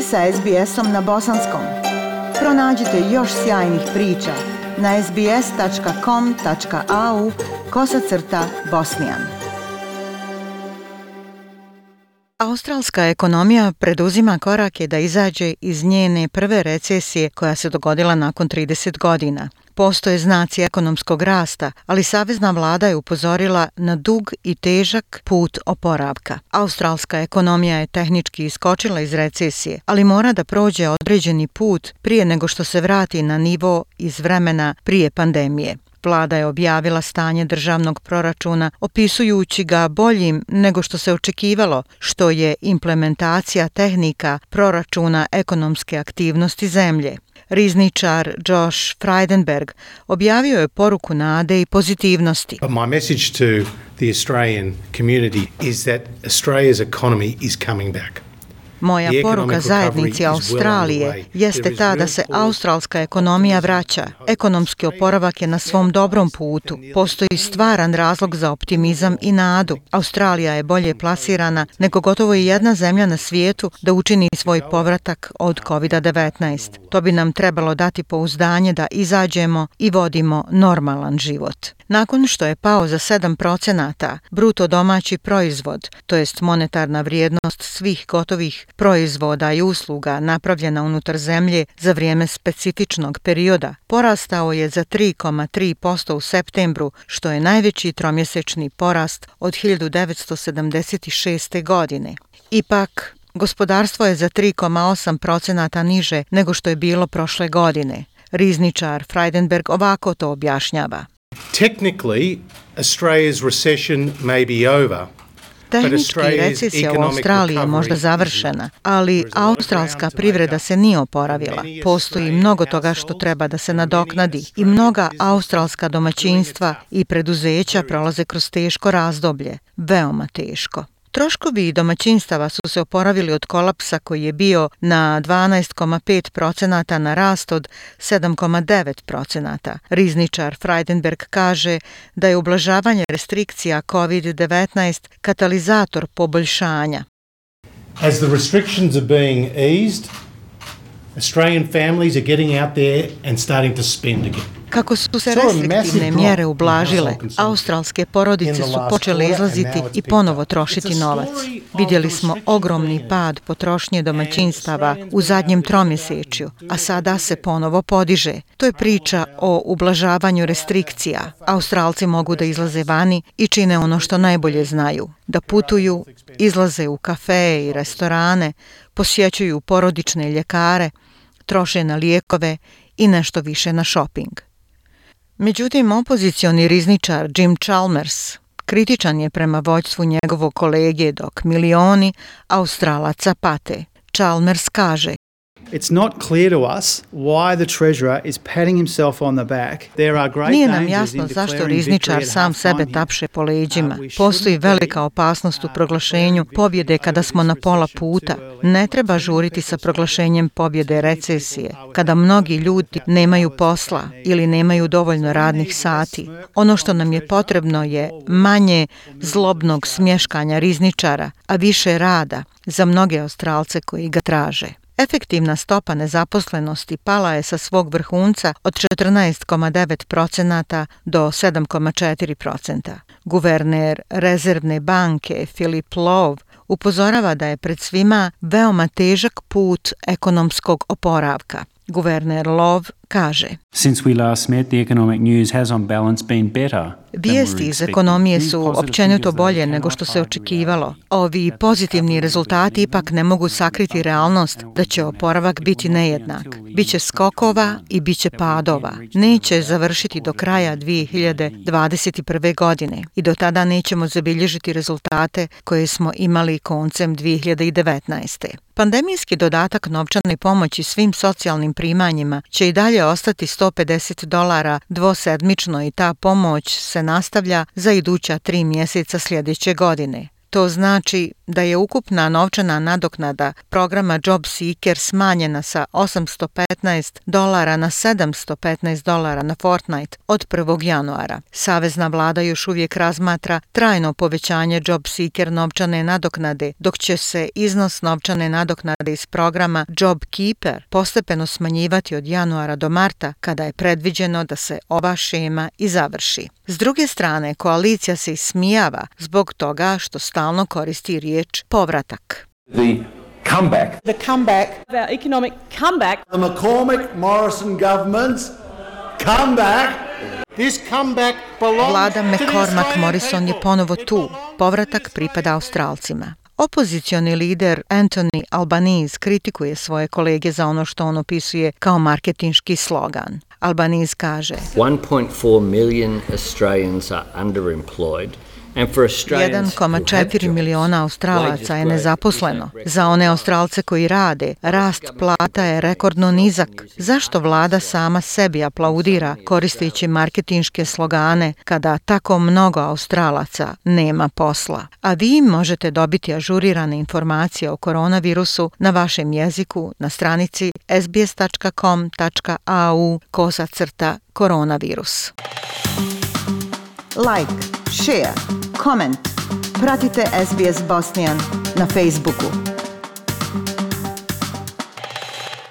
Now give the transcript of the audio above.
ste sa SBS-om na bosanskom. Pronađite još sjajnih priča na sbs.com.au/bosnijan. Australska ekonomija preduzima korake da izađe iz njene prve recesije koja se dogodila nakon 30 godina. Postoje znaci ekonomskog rasta, ali savezna vlada je upozorila na dug i težak put oporavka. Australska ekonomija je tehnički iskočila iz recesije, ali mora da prođe određeni put prije nego što se vrati na nivo iz vremena prije pandemije. Vlada je objavila stanje državnog proračuna opisujući ga boljim nego što se očekivalo, što je implementacija tehnika proračuna ekonomske aktivnosti zemlje. Rizničar Josh Frydenberg objavio je poruku nade i pozitivnosti. My message to the Australian community is that Australia's economy is coming back. Moja poruka zajednici Australije jeste ta da se australska ekonomija vraća. Ekonomski oporavak je na svom dobrom putu. Postoji stvaran razlog za optimizam i nadu. Australija je bolje plasirana nego gotovo i jedna zemlja na svijetu da učini svoj povratak od COVID-19. To bi nam trebalo dati pouzdanje da izađemo i vodimo normalan život. Nakon što je pao za 7%, bruto domaći proizvod, to jest monetarna vrijednost svih gotovih proizvoda i usluga napravljena unutar zemlje za vrijeme specifičnog perioda, porastao je za 3,3% u septembru, što je najveći tromjesečni porast od 1976. godine. Ipak, gospodarstvo je za 3,8% niže nego što je bilo prošle godine. Rizničar Frydenberg ovako to objašnjava. Technically, Australia's recession may be over. Tehnički recesija u Australiji je možda završena, ali australska privreda se nije oporavila. Postoji mnogo toga što treba da se nadoknadi i mnoga australska domaćinstva i preduzeća prolaze kroz teško razdoblje, veoma teško. Troškovi domaćinstava su se oporavili od kolapsa koji je bio na 12,5% na rast od 7,9%. Rizničar Frydenberg kaže da je ublažavanje restrikcija COVID-19 katalizator poboljšanja. As the restrictions are being eased, Australian families are getting out there and starting to spend again. Kako su se restriktivne mjere ublažile, australske porodice su počele izlaziti i ponovo trošiti novac. Vidjeli smo ogromni pad potrošnje domaćinstava u zadnjem tromjesečju, a sada se ponovo podiže. To je priča o ublažavanju restrikcija. Australci mogu da izlaze vani i čine ono što najbolje znaju. Da putuju, izlaze u kafe i restorane, posjećuju porodične ljekare, troše na lijekove i nešto više na šoping. Međutim, opozicioni rizničar Jim Chalmers kritičan je prema vođstvu njegovog kolege dok milioni Australaca pate. Chalmers kaže: It's not clear to us why the treasurer is patting himself on the back. There are great Nije nam dangers jasno in zašto declaring rizničar victory at sam half-time sebe here. tapše po leđima. We Postoji shouldn't velika be, opasnost u proglašenju pobjede kada smo na pola puta. Ne treba žuriti sa proglašenjem pobjede recesije, kada mnogi ljudi nemaju posla ili nemaju dovoljno radnih sati. Ono što nam je potrebno je manje zlobnog smješkanja rizničara, a više rada za mnoge Australce koji ga traže. Efektivna stopa nezaposlenosti pala je sa svog vrhunca od 14,9% do 7,4%. Guverner Rezervne banke Philip Lowe upozorava da je pred svima veoma težak put ekonomskog oporavka. Guverner Lowe kaže: Since we last met, the economic news has on balance been better. Vijesti iz ekonomije su općenito bolje nego što se očekivalo. Ovi pozitivni rezultati ipak ne mogu sakriti realnost da će oporavak biti nejednak. Biće skokova i biće padova. Neće završiti do kraja 2021. godine i do tada nećemo zabilježiti rezultate koje smo imali koncem 2019. Pandemijski dodatak novčane pomoći svim socijalnim primanjima će i dalje ostati $150 dvosedmično i ta pomoć se nastavlja za iduća 3 mjeseca sljedeće godine. To znači da je ukupna novčana nadoknada programa Job Seeker smanjena sa $815 na $715 na fortnight od 1. januara. Savezna vlada još uvijek razmatra trajno povećanje Job Seeker novčane nadoknade, dok će se iznos novčane nadoknade iz programa Job Keeper postepeno smanjivati od januara do marta, kada je predviđeno da se ova šema i završi. S druge strane, koalicija se ismijava zbog toga što stalno koristi riječ povratak. The comeback. The comeback. Our economic comeback. The McCormick-Morrison government's comeback. This comeback belongs Vlada to the McCormack Australian Morrison je people. ponovo tu. Povratak pripada Australcima. Opozicioni lider Anthony Albanese kritikuje svoje kolege za ono što on opisuje kao marketinški slogan. Albanese kaže: 1.4 million Australians are underemployed. 1,4 miliona Australaca je nezaposleno. Za one Australce koji rade, rast plata je rekordno nizak. Zašto vlada sama sebi aplaudira koristeći marketinške slogane kada tako mnogo Australaca nema posla? A vi možete dobiti ažurirane informacije o koronavirusu na vašem jeziku na stranici sbs.com.au/koronavirus. Like, share, comment. Pratite SBS Bosnian na Facebooku.